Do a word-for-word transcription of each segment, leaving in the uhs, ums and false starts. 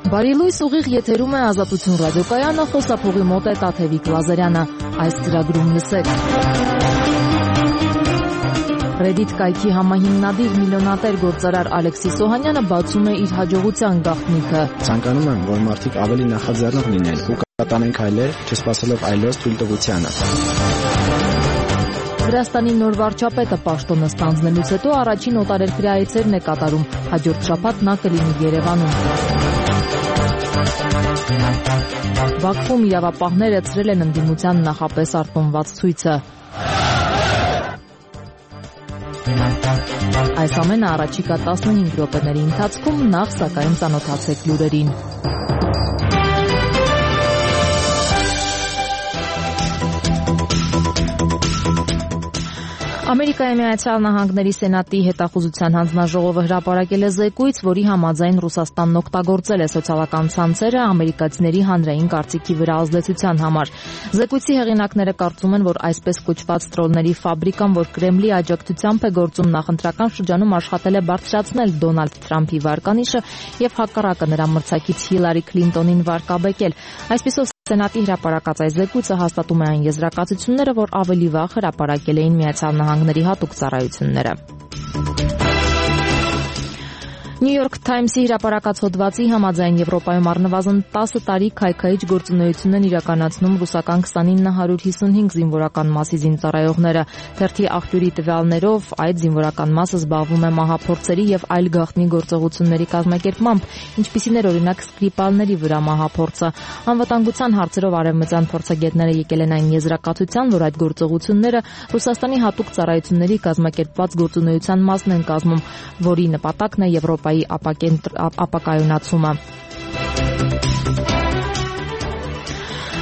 Բարի լույս, ուղիղ եթերում է Ազատություն ռադիոկայանը, խոսափողի մոտ է Տաթևիկ Լազարյանը։ Այս ծրագրում լսեք։ Reddit կայքի համահիմնադիր միլիոնատեր գործարար Ալեքսիս Օհանյանը բացում է իր հաջողության գաղտնիքը։ Ցանկանում եմ, որ մարդիկ ավելի նախաձեռնող լինեն ու կատարեն քայլեր, չսպասելով այլոց թույլտվությանը։ Վրաստանի նոր վարչապետը պաշտոնը ստանձնելուց հետո առաջին օտարերկրյա այցերն է կատարում։ Հաջորդ շաբաթ նա կլինի Երևանում։ Բաքվում իրավապահները ցրել են ընդդիմության նախապես արտոնված ցույցը։ Այս ամենը առաջիկա տասնհինգ րոպեների ընթացքում, նախ սակայն ծանոթացեք լուրերին։ Ամերիկայի Միացյալ Նահանգների Սենատի հետախուզության հանձնաժողովը հրապարակել է զեկույց, որի համաձայն Ռուսաստանն օգտագործել է սոցիալական ցանցերը ամերիկացիների հանրային կարծիքի վրա ազդեցության համար։ Զեկույցի հեղինակները կարծում են, որ այսպես կոչված տրոլների ֆաբրիկան, որ Կրեմլի աջակցությամբ է գործում, նախընտրական շրջանում աշխատել է բարձրացնել Դոնալդ Թրամփի վարկանիշը եւ հակառակը նրա մրցակից Հիլարի Քլինտոնին վարկաբեկել։ Այսպիսով Սենատի հրապարակած այս զեկույցը հաստատում է այն եզրակացությունները, որ ավելի վաղ հրապարակել էին Միացյալ Նահանգների հատուկ ծառայությունները։ New York Times-ի հրապարակած հոդվածի համաձայն Եվրոպայում առնվազն տասը տարի քայքայիչ գործունեություն են իրականացնում ռուսական քսանինը հարյուր հիսունհինգ զինվորական մասի զինծառայողները։ Թերթի աղբյուրի տվյալներով այդ զինվորական մասը զբաղվում է մահափորձերի եւ այլ գաղտնի գործողությունների կազմակերպմամբ, ինչպիսին էր օրինակ Սկրիպալների վրա մահափորձը։ Անվտանգության հարցերով արևմտյան փորձագետները եկել են այն եզրակացության, որ այդ գործողությունները Ռուսաստանի հատուկ ծառայությունների կազմակերպված գործունեության մասն են կազմում, որի նպատակն է Եվրոպայի ապակայունացումը։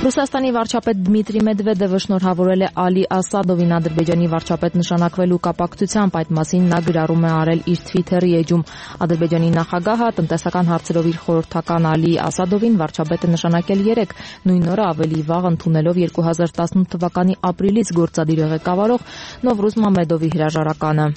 Ռուսաստանի վարչապետ Դմիտրի Մեդվեդևը շնորհավորել է Ալի Ասադովին Ադրբեջանի վարչապետ նշանակվելու կապակցությամբ, այդ մասին նա գրառում է արել իր Twitter-ի էջում։ Ադրբեջանի նախագահը տնտեսական հարցերով իր խորհրդական Ալի Ասադովին վարչապետը նշանակել երեկ, նույն օրը ավելի վաղ ընդունելով երկու հազար տասնութ թվականի ապրիլից գործադիր ղեկավարող Նովրուզ Մամեդովի հրաժարականը։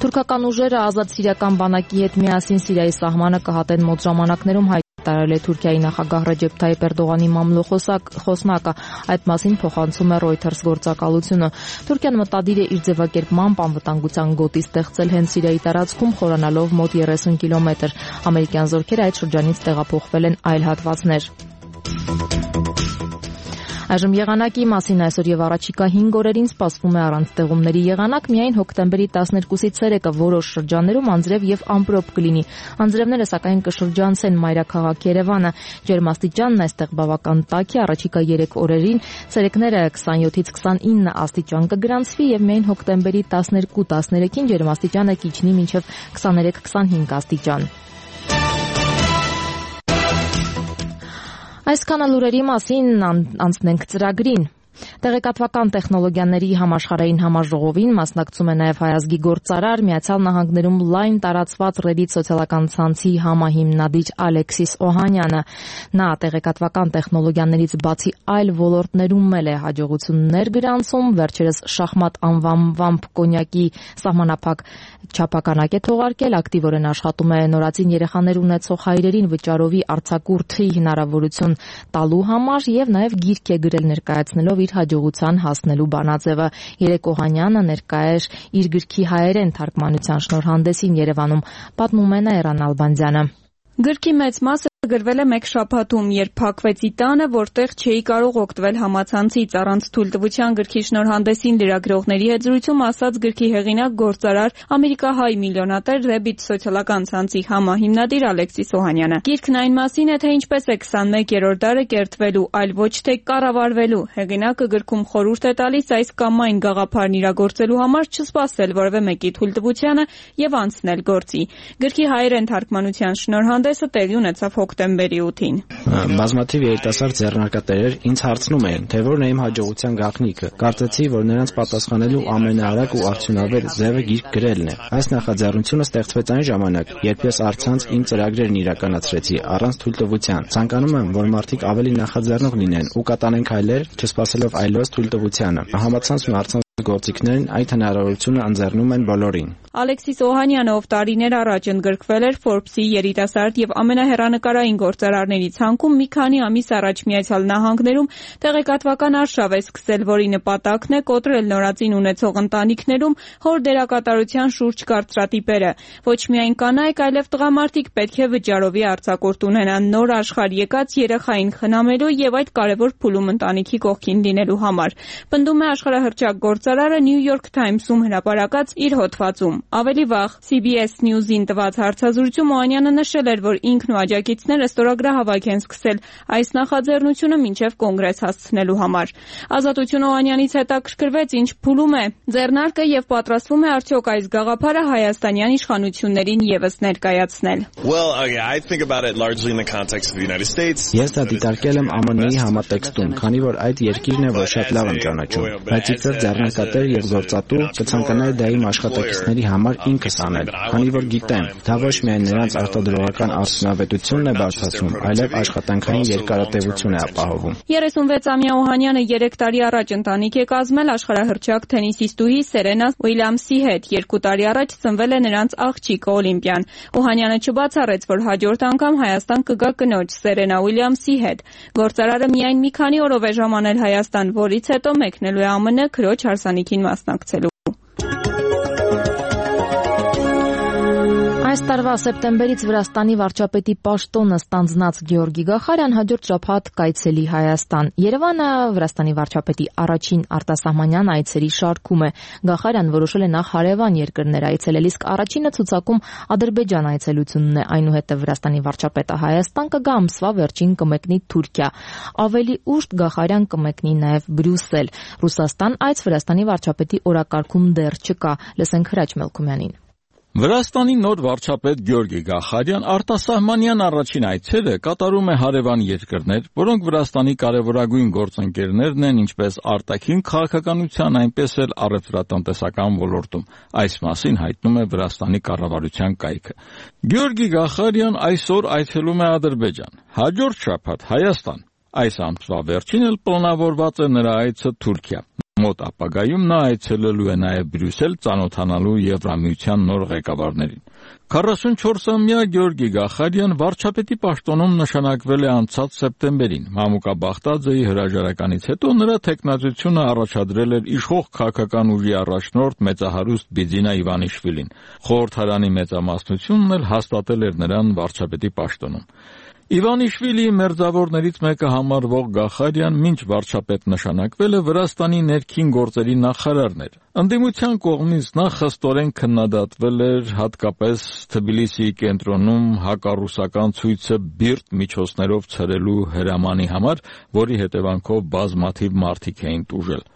Թուրքական ուժերը ազատ սիրիական բանակի հետ միասին Սիրիայի սահմանը կհատեն մոտ ժամանակներում, հայտարարել է Թուրքիայի նախագահ Ռեջեփ Թայիփ Էրդողանի մամլո-խոսնակը, այդ մասին փոխանցում է Reuters գործակալությունը։ Թուրքիան մտադիր է իր ձևակերպմամբ անվտանգության գոտի ստեղծել հենց Սիրիայի տարածքում, խորանալով մոտ երեսուն կիլոմետր։ Ամերիկյան զորքերը այդ շրջանից տեղափոխվել են այլ հատվածներ։ Այժմ եղանակի մասին այսօր եւ առաջիկա հինգ օրերին սպասվում է առանց ձեղումների եղանակ, միայն հոկտեմբերի տասներկուսից ցերեկը որոշ շրջաններում անձրև եւ ամպրոպ կլինի։ Անձրևները սակայն կշրջանցեն մայրաքաղաք Երևանը։ Ջերմաստիճանն այստեղ բավական տաք է, առաջիկա երեք օրերին ցերեկները քսանյոթից քսանինը աստիճան կգրանցվի եւ միայն հոկտեմբերի տասներկու տասներեքին ջերմաստիճանը կիջնի մինչեւ քսաներեք քսանհինգ աստիճան։ Այսքանը լուրերի մասին, անցնենք ծրագրին։ Տեղեկատվական տեխնոլոգիաների համաշխարհային համաժողովին մասնակցում է նաև հայազգի գործարար, Միացյալ Նահանգներում լայն տարածված Reddit սոցիալական ցանցի համահիմնադիր Ալեքսիս Օհանյանը։ Նա տեղեկատվական տեխնոլոգիաներից բացի այլ ոլորտներում էլ է հաջողություններ գրանցում, վերջերս շախմատ անվանվամբ կոնյակի սահմանափակ չափականակ է թողարկել, ակտիվորեն աշխատում է նորածին երեխաներ ունեցող հայրերին վճարովի արձակուրդի հնարավորություն տալու համար եւ նաև գիրք է գրել ներկայացնելով իր հաջողության հասնելու բանաձևը։ Երեկ Օհանյանը ներկա էր իր գրքի հայերեն թարգմանության շնորհանդեսին Երևանում, պատմում է Նաիրան Ալբանդյանը։ Գրքի մեծ մասը գրվել է մեկ շաբաթում, երբ փակվեցի տանը, որտեղ չէի կարող օգտվել համացանցից, առանց թույլտվության գրքի շնորհանդեսին լրագրողների հետ զրույցում ասաց գրքի հեղինակ գործարար ամերիկահայ միլիոնատեր Reddit սոցիալական ցանցի համահիմնադիր Ալեքսիս Օհանյանը։ Գիրքն այն մասին է, թե ինչպես է քսանմեկերորդ դարը կերտվելու, այլ ոչ թե կառավարվելու։ Հեղինակը գրքում խորհուրդ է տալիս այս կամ այն գաղափարն իրագործելու համար չսպասել որևէ մեկի թույլտվությանը եւ անցնել գործի։ Գրքի հայերեն թարգմանության շնորհանդեսը տեղի ունեցավ հոկտեմբերի ութին։ Բազմաթիվ երիտասարդ ձեռնարկատերեր ինձ հարցնում էին, թե որն է իմ հաջողության գաղտնիքը։ Կարծեցի, որ նրանց պատասխանելու ամենաարագ ու արդյունավետ ձևը գիրք գրելն է։ Այս նախաձեռնությունը ստեղծվեց այն ժամանակ, երբ ես առցանց իմ ծրագրերն իրականացրեցի առանց թույլտվության։ Ցանկանում եմ, որ մարդիկ ավելի նախաձեռնող լինեն ու կատարեն քայլեր, չսպասելով այլոց թույլտվությանը։ Համացանցն ու առցանց գործիքներն այդ հնարավորությունը ընձեռնում են բոլորին։ Ալեքսիս Օհանյանը, ով տարիներ առաջ ընդգրկվել էր Forbes-ի երիտասարդ եւ ամենահեռանկարային գործարարների ցանկում, մի քանի ամիս առաջ Միացյալ Նահանգներում տեղեկատվական արշավ է սկսել, որի նպատակն է կոտրել նորածին ունեցող ընտանիքներում հոր դերակատարության շուրջ կարծրատիպերը։ Ոչ միայն կանայք, այլև տղամարդիկ պետք է վճարովի արձակուրդ ունենան նոր աշխարհ եկած երեխային խնամելու եւ այդ կարեւոր փուլում ընտանիքի կողքին լինելու համար։ Պնդում է աշխարհահռչակ գործարարը New York Times-ում հրապարակած իր հոդվածում։ Ավելի վաղ C B S News-ին տված հարցազրույցում Օհանյանը նշել էր, որ ինքն ու աջակիցները ստորագրահավաք են սկսել այս նախաձեռնությունը մինչև կոնգրես հասցնելու համար։ Ազատություն Օհանյանից հետաքրքրվեց, ինչ փուլում է ձեռնարկը եւ պատրաստվում է արդյոք այս գաղափարը հայաստանյան իշխանություններին եւս ներկայացնել։ Ես դա դիտարկել եմ Ամն Ի համատեքստում, քանի որ այդ երկիրն է, որ շատ լավ եմ ճանաչում, բայց իբր ձեռնարկատեր եւ գործատու կցանկանայի դա իմ աշխատակիցների համար ինքս անել, քանի որ գիտեմ, դա ոչ միայն նրանց արտադրողական արդյունավետությունն է բարձրացնում, այլև աշխատանքային երկարատևություն է ապահովում։ երեսունվեցամյա Օհանյանը երեք տարի առաջ ընտանիք է կազմել աշխարհահռչակ թենիսիստուհի Սերենա Ուիլյամսի հետ։ Երկու տարի առաջ ծնվել է նրանց աղջիկը Օլիմպիան։ Օհանյանը չբացառեց, որ հաջորդ անգամ Հայաստան կգա կնոջ Սերենա Ուիլյամսի հետ։ Գործարարը միայն մի քանի օրով է ժամանել Հայաստան, որից հետո մեկնելու է ԱՄՆ քրոջ հարսանիքին մասնակցելու։ Այս տարվա սեպտեմբերից Վրաստանի վարչապետի պաշտոնը ստանձնած Գեորգի Գախարյան հաջորդ շաբաթ կայցելի Հայաստան։ Երևանը Վրաստանի վարչապետի առաջին արտասահմանյան այցերի շարքում է։ Գախարյան որոշել է նախ հարևան երկրներ այցելել, իսկ առաջինը ցուցակում Ադրբեջան այցելությունն է, այնուհետև Վրաստանի վարչապետը Հայաստան կգա, ամսվա վերջին կմեկնի Թուրքիա։ Ավելի ուշ Գախարյան կմեկնի նաև Բրյուսել։ Ռուսաստան այց Վրաստանի վարչապետի օրակարգում դեռ չկա։ Լսենք Հրաչ Մելքումյանին։ Վրաստանի նոր վարչապետ Գեորգի Գախարյան արտասահմանյան առաջին այցերը կատարում է հարևան երկրներ, որոնք Վրաստանի կարևորագույն գործընկերներն են ինչպես արտաքին քաղաքականության, այնպես էլ առևտրատնտեսական ոլորտում։ Այս մասին հայտնում է Վրաստանի կառավարության կայքը։ Գեորգի Գախարյան այսօր այցելում է Ադրբեջան, հաջորդ շաբաթ Հայաստան։ Այս ամսվա վերջին էլ պլանավորված է նրա այցը Թուրքիա։ Մոտ ապագայում նա այցելելու է նաև Բրյուսել ծանոթանալու Եվրամիության նոր ղեկավարներին։ քառասունչորսամյա Գեորգի Գախարյան վարչապետի պաշտոնում նշանակվել է անցած սեպտեմբերին։ Մամուկա Բաղդաձեի հրաժարականից հետո նրա թեկնածությունը առաջադրել էր իշխող քաղաքական ուժի առաջնորդ մեծահարուստ Բիձինա Իվանիշվիլին։ Խորհրդարանի մեծամասնությունն էլ հաստատել էր նրան վարչապետի պաշտոնում։ Իվանիշվիլիի մերձավորներից մեկը համարվող Գախարյան մինչ վարչապետ նշանակվել է Վրաստանի ներքին գործերի նախարարն էր։ Ընդդիմության կողմից նա խստորեն քննադատվել էր հատկապես Թբիլիսիի կենտրոնում հակառուսական ցույցը բիրտ միջոցներով ցրելու հրամանի համար, որի հետևանքով բազմաթիվ մարդիկ էին տուժել։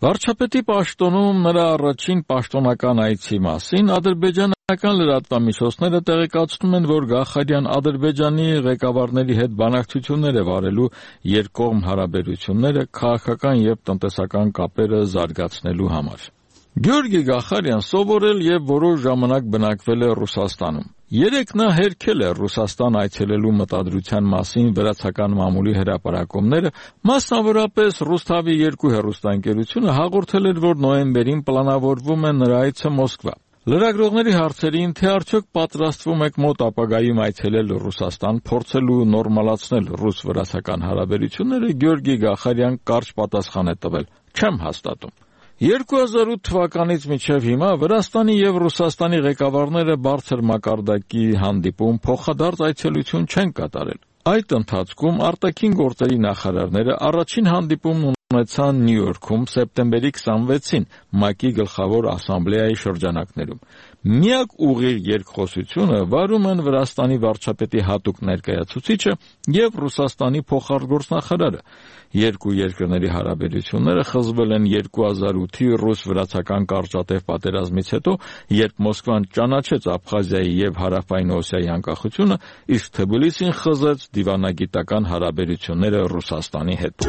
Վարչապետի պաշտոնում նրա առաջին պաշտոնական այցի մասին ադրբեջանական լրատվամիջոցները տեղեկացնում են, որ Գախարյան Ադրբեջանի ղեկավարների հետ բանակցություններ է վարելու երկկողմ հարաբերությունները, քաղաքական եւ տնտեսական կապերը զարգացնելու համար։ Գեորգի Գախարյան սովորել եւ որոշ ժամանակ բնակվել է Ռուսաստանում։ Երեք նա հերքել է Ռուսաստան այցելելու մտադրության մասին վրացական մամուլի հրապարակումները, մասնավորապես Ռուսթավի երկու հեռուստաընկերությունը հաղորդել էր, որ նոյեմբերին պլանավորվում է նրա այցը Մոսկվա։ Լրագրողների հարցերին, թե արդյոք պատրաստվում եք մոտ ապագայում այցելել Ռուսաստան, փորձելու նորմալացնել ռուս-վրացական հարաբերությունները, Գեորգի Գախարյան կարճ պատասխան է տվել. «Չեմ հաստատում»։ երկու հազար ութ թվականից մինչև հիմա Վրաստանի եւ Ռուսաստանի ղեկավարները բարձր մակարդակի հանդիպում փոխադարձ այցելություն չեն կատարել։ Այդ ընթացքում արտաքին գործերի նախարարները առաջին հանդիպումն ունեցան Նյու Յորքում սեպտեմբերի քսանվեցին ՄԱԿ-ի գլխավոր ասամբլեայի շրջանակներում։ Միակ ուղիղ երկխոսությունը վարում են Վրաստանի վարչապետի հատուկ ներկայացուցիչը եւ Ռուսաստանի փոխարտգործնախարարը։ Երկու երկրների հարաբերությունները խզվել են երկու հազար ութի ռուս-վրացական կարճատև պատերազմից հետո, երբ Մոսկվան ճանաչեց Աբխազիայի եւ Հարավային Օսիայի անկախությունը, իսկ Թբիլիսին խզեց դիվանագիտական հարաբերությունները Ռուսաստանի հետ։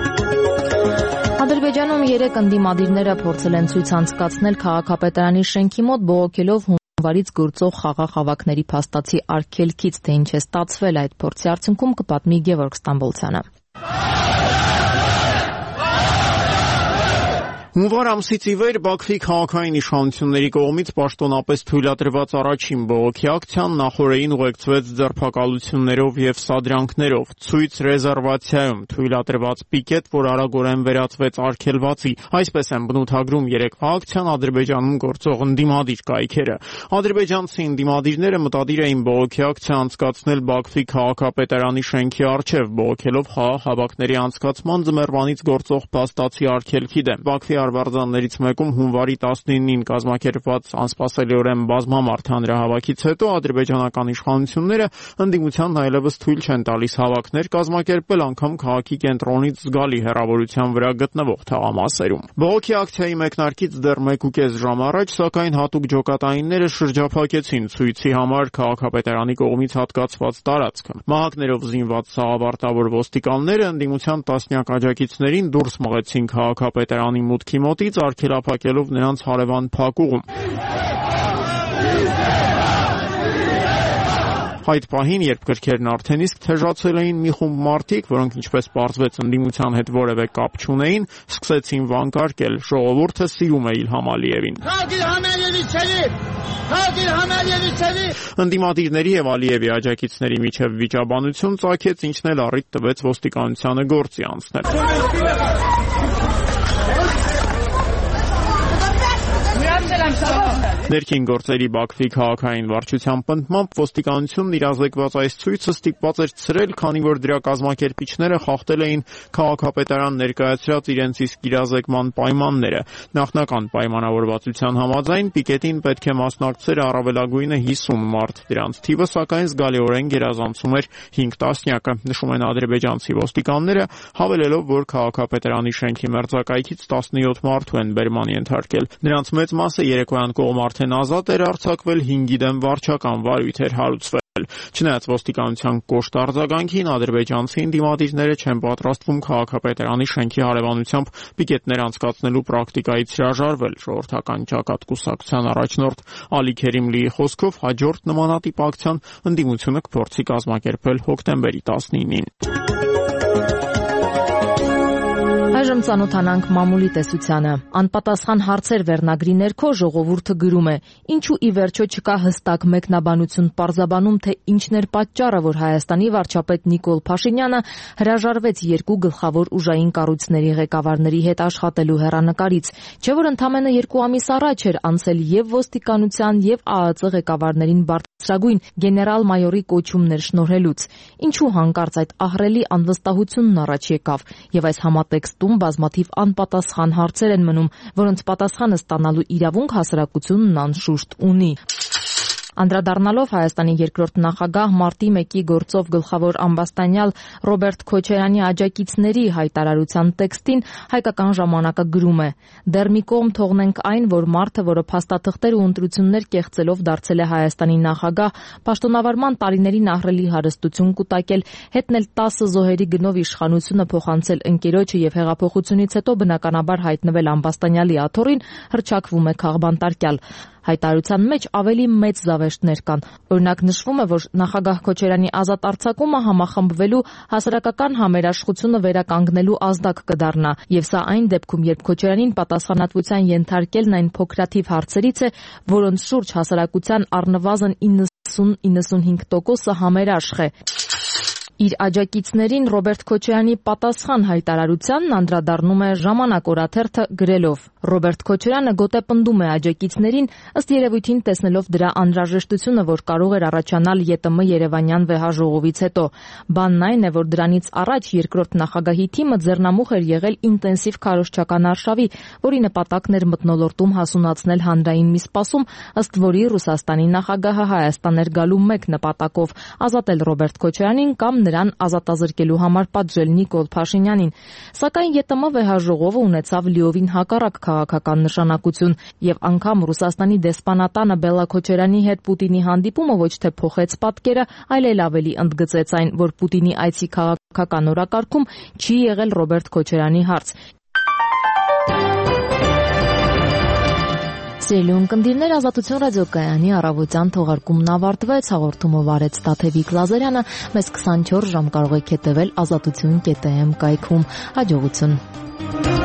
Ադրբեջանում երեք ընդդիմադիրները փորձել են ցույց անցկացնել քաղաքապետարանի շենքի մոտ բողոքելով հունվարից գործող խաղաղ հավաքների փաստացի արգելքից, թե ինչ է ստացվել այդ փորձի արդյունքում կպատմի Գևորգ Ստամբոլցյանը։ Հունվար ամսից ի վեր Բաքվի քաղաքային իշխանությունների կողմից պաշտոնապես թույլատրված առաջին բողոքի ակցիան նախօրեին ուղեկցվեց ձերբակալություններով եւ սադրանքներով, ցույց ռեզերվացիայում թույլատրված պիկետ, որ արագորեն վերածվեց արգելվածի։ Այսպես են բնութագրում երեկվա ակցիան Ադրբեջանում գործող ընդդիմադիր կայքերը։ Ադրբեջանցի ընդդիմադիրները մտադիր էին բողոքի ակցիա անցկացնել Բաքվի քաղաքապետարանի շենքի առջև, բողոքելով ՀԱ հավաքների անցկացման ձմեռվանից գործող փաստացի արգելքի դեմ։ Բաքվի արվարձաններից մեկում հունվարի տասնինին կազմակերպված անսպասելիորեն բազմամարդ հանրահավաքից հետո ադրբեջանական իշխանությունները ընդդիմությանն այլևս թույլ չեն տալիս հավաքներ կազմակերպել, անգամ քաղաքի կենտրոնից զգալի հեռավորության վրա գտնվող թաղամասերում։ Բողոքի ակցիայի մեկնարկից դեռ մեկ ու կես ժամ առաջ, սակայն հատուկ ջոկատայինները շրջափակեցին ցույցի համար քաղաքապետարանի կողմից հատկացված տարածքը։ Մահակներով զինված սաղավարտավոր ոստիկանները ընդդիմության տասնյակ աջակիցներին դուրս մղեցին քաղաքապետարանի մուտքի մոտից, արգելափակելով նրանց հարևան փակուղում։ Այդ պահին, երբ գրքերն արդեն իսկ թեժացել էին, մի խումբ մարդիկ, որոնք ինչպես պարզվեց ընդդիմության հետ որևէ կապ չունեին, սկսեցին վանկարկել. «Ժողովուրդը սիրում է Իլհամ Ալիևին»։ Ընդդիմադիրների եւ Ալիևի աջակիցների միջև վիճաբանություն ծագեց, ինչն էլ առիթ տվեց ոստիկանությանը գործի անցնել։ Ներքին գործերի Բաքվի քաղաքային վարչության պնդմամբ ոստիկանությունն իրազեկված այս ցույցը ստիպված էր ցրել, քանի որ դրա կազմակերպիչները խախտել էին քաղաքապետարան ներկայացրած իրենց իսկ իրազեկման պայմանները։ Նախնական պայմանավորվածության համաձայն պիկետին պետք է մասնակցեր առավելագույնը հիսուն մարդ, դրանց թիվը սակայն զգալիորեն գերազանցում էր հինգ տասնյակը, նշում են ադրբեջանցի ոստիկանները, հավելելով, որ քաղաքապետարանի շենքի մերձակայքից տասնյոթ մարդու են բերման ենթարկել։ Նրանց մեծ մասը երեկոյան կողմ արդեն ազատ էր արձակվել, հինգի դեմ վարչական վարույթ էր հարուցվել։ Չնայած ոստիկանության կոշտ արձագանքին, ադրբեջանցի ընդդիմադիրները չեն պատրաստվում քաղաքապետարանի շենքի հարևանությամբ պիկետներ անցկացնելու պրակտիկայից հրաժարվել։ Ժողովրդական ճակատ կուսակցության առաջնորդ Ալի Քերիմլիի խոսքով հաջորդ նմանատիպ ակցիան ընդդիմությունը կփորձի կազմակերպել հոկտեմբերի տասնինին։ Այժմ ծանոթանանք մամուլի տեսությանը։ Անպատասխան հարցեր վերնագրի ներքո ժողովուրդը գրում է. ինչու ի վերջո չկա հստակ մեկնաբանություն պարզաբանում, թե ինչն էր պատճառը, որ Հայաստանի վարչապետ Նիկոլ Փաշինյանը հրաժարվեց երկու գլխավոր ուժային կառույցների ղեկավարների հետ աշխատելու հեռանկարից, չէ՞ որ ընդամենը երկու ամիս առաջ էր անցել եւ ոստիկանության եւ ԱԱԾ ղեկավարներին բարձրագույն գեներալ-մայորի կոչումներ շնորհելուց։ Ինչու հանկարծ այդ ահռելի անվստահությունն առաջ եկավ եւ այս համատեքստում բազմաթիվ անպատասխան հարցեր են մնում, որոնց պատասխանը ստանալու իրավունք հասարակությունն անշուշտ ունի։ Անդրադառնալով Հայաստանի երկրորդ նախագահ մարտի մեկի գործով գլխավոր ամբաստանյալ Ռոբերտ Քոչարյանի աջակիցների հայտարարության տեքստին, Հայկական ժամանակը գրում է. «Դեռ մի կողմ թողնենք այն, որ մարդը, որը փաստաթղթեր ու ընտրություններ կեղծելով դարձել է Հայաստանի նախագահ, պաշտոնավարման տարիներին ահռելի հարստություն կուտակել, հետնել տասը զոհերի գնով իշխանությունը փոխանցել ընկերոջը եւ հեղափոխությունից հետո բնականաբար հայտնվել ամբաստանյալի աթոռին, հռչակվում է քաղբանտարկյալ»։ Հայտարարության մեջ ավելի մեծ զավեշտներ կան։ Օրինակ նշվում է, որ նախագահ Քոչարյանի ազատ արձակումը համախմբվելու հասարակական համերաշխությունը վերականգնելու ազդակ կդառնա, եւ սա այն դեպքում, երբ Քոչարյանին պատասխանատվության ենթարկելն այն փոքրաթիվ հարցերից է, որոնց շուրջ հասարակության առնվազն իննսուն-իննսունհինգ տոկոսը համերաշխ է։ Իր աջակիցներին Ռոբերտ Քոչարյանի պատասխան հայտարարությանն անդրադառնում է Ժամանակ օրաթերթը գրելով. Ռոբերտ Քոչարյանը գոտեպնդում է աջակիցներին, ըստ երևույթին տեսնելով դրա անհրաժեշտությունը, որ կարող էր առաջանալ ԵՏՄ Երևանյան վեհաժողովից հետո։ Բանն այն է, որ դրանից առաջ երկրորդ նախագահի թիմը ձեռնամուխ էր եղել ինտենսիվ քարոզչական արշավի, որի նպատակն էր մթնոլորտում հասունացնել հանրային մի սպասում, ըստ որի Ռուսաստանի նախագահը Հայաստան էր գալու մեկ նպատակով՝ ազատել Ռոբերտ Քոչարյանին կամ նրան ազատազրկելու համար պատժել Նիկոլ Փաշինյանին։ Սակայն ԵՏՄ վեհաժողովը ունեցավ լիովին հակառակ քաղաքական նշանակություն, եւ անգամ Ռուսաստանի դեսպանատանը Բելլա Քոչարյանի հետ Պուտինի հանդիպումը ոչ թե փոխեց պատկերը, այլ էլ ավելի ընդգծեց այն, որ Պուտինի այցի քաղաքական օրակարգում չի եղել Ռոբերտ Քոչարյանի հարց։ Սիրելի ունկնդիրներ, Ազատություն ռադիոկայանի առավոտյան թողարկումն ավարտվեց, հաղորդումը վարեց Տաթևիկ Լազարյանը, մեզ քսանչորս ժամ կարող եք հետևել ազատություն կետ էմ կայքում։ Հաջողություն։